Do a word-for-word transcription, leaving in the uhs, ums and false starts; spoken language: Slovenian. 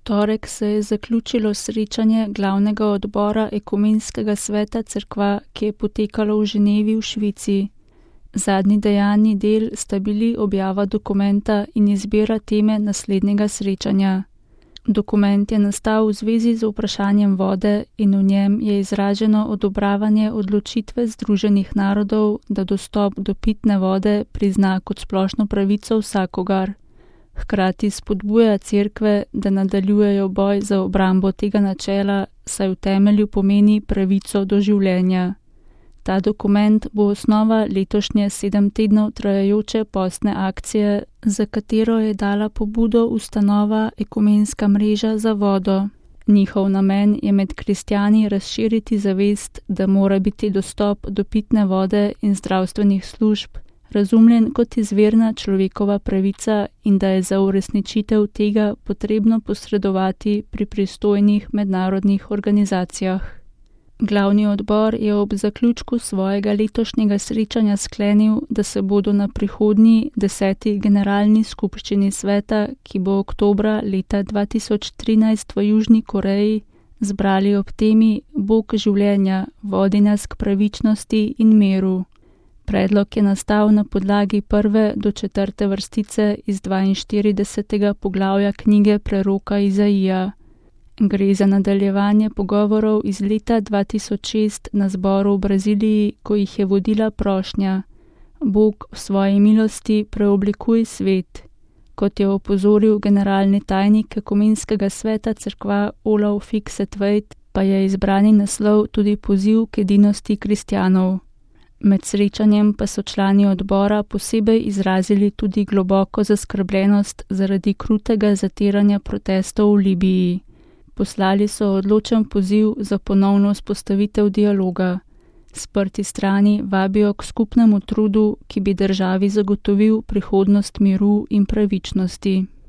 torek se je zaključilo srečanje glavnega odbora Ekumenskega sveta cerkva, ki je potekalo v Ženevi v Švici. Zadnji dejavni del sta bili objava dokumenta in izbira teme naslednjega srečanja. Dokument je nastal v zvezi z vprašanjem vode in v njem je izraženo odobravanje odločitve Združenih narodov, da dostop do pitne vode prizna kot splošno pravico vsakogar. Hkrati spodbuja cerkve, da nadaljujejo boj za obrambo tega načela, saj v temelju pomeni pravico do življenja. Ta dokument bo osnova letošnje sedem tednov trajajoče postne akcije, za katero je dala pobudo ustanova Ekumenska mreža za vodo. Njihov namen je med kristjani razširiti zavest, da mora biti dostop do pitne vode in zdravstvenih služb razumljen kot izvirna človekova pravica in da je za uresničitev tega potrebno posredovati pri pristojnih mednarodnih organizacijah. Glavni odbor je ob zaključku svojega letošnjega srečanja sklenil, da se bodo na prihodnji deseti generalni skupščini sveta, ki bo oktobra leta dva tisoč trinajst v Južni Koreji, zbrali ob temi Bog življenja, vodi nas k pravičnosti in miru. Predlog je nastal na podlagi prve do četrte vrstice iz dvainštiridesetega poglavja knjige preroka Izaija. Gre za nadaljevanje pogovorov iz leta dva tisoč šest na zboru v Braziliji, ko jih je vodila prošnja: Bog v svoji milosti preoblikuj svet. Kot je opozoril generalni tajnik Ekumenskega sveta cerkva Olav Fikset-Tveit, pa je izbrani naslov tudi poziv k edinosti kristjanov. Med srečanjem pa so člani odbora posebej izrazili tudi globoko zaskrbljenost zaradi krutega zatiranja protestov v Libiji. Poslali so odločen poziv za ponovno vzpostavitev dialoga. Sprti strani vabijo k skupnemu trudu, ki bi državi zagotovil prihodnost miru in pravičnosti.